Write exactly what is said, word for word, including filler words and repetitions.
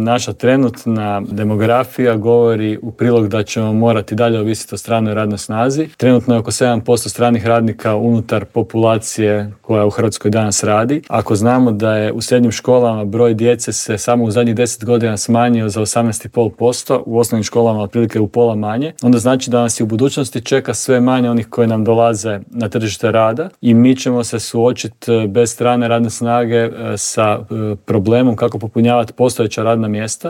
Naša trenutna demografija govori u prilog da ćemo morati dalje ovisiti o stranoj radnoj snazi. Trenutno je oko sedam posto stranih radnika unutar populacije koja u Hrvatskoj danas radi. Ako znamo da je u srednjim školama broj djece se samo u zadnjih deset godina smanjio za osamnaest zarez pet posto, u osnovnim školama otprilike u pola manje, onda znači da nas i u budućnosti čeka sve manje onih koji nam dolaze na tržište rada i mi ćemo se suočiti bez strane radne snage sa problemom kako popunjavati postojeća radna mjesta.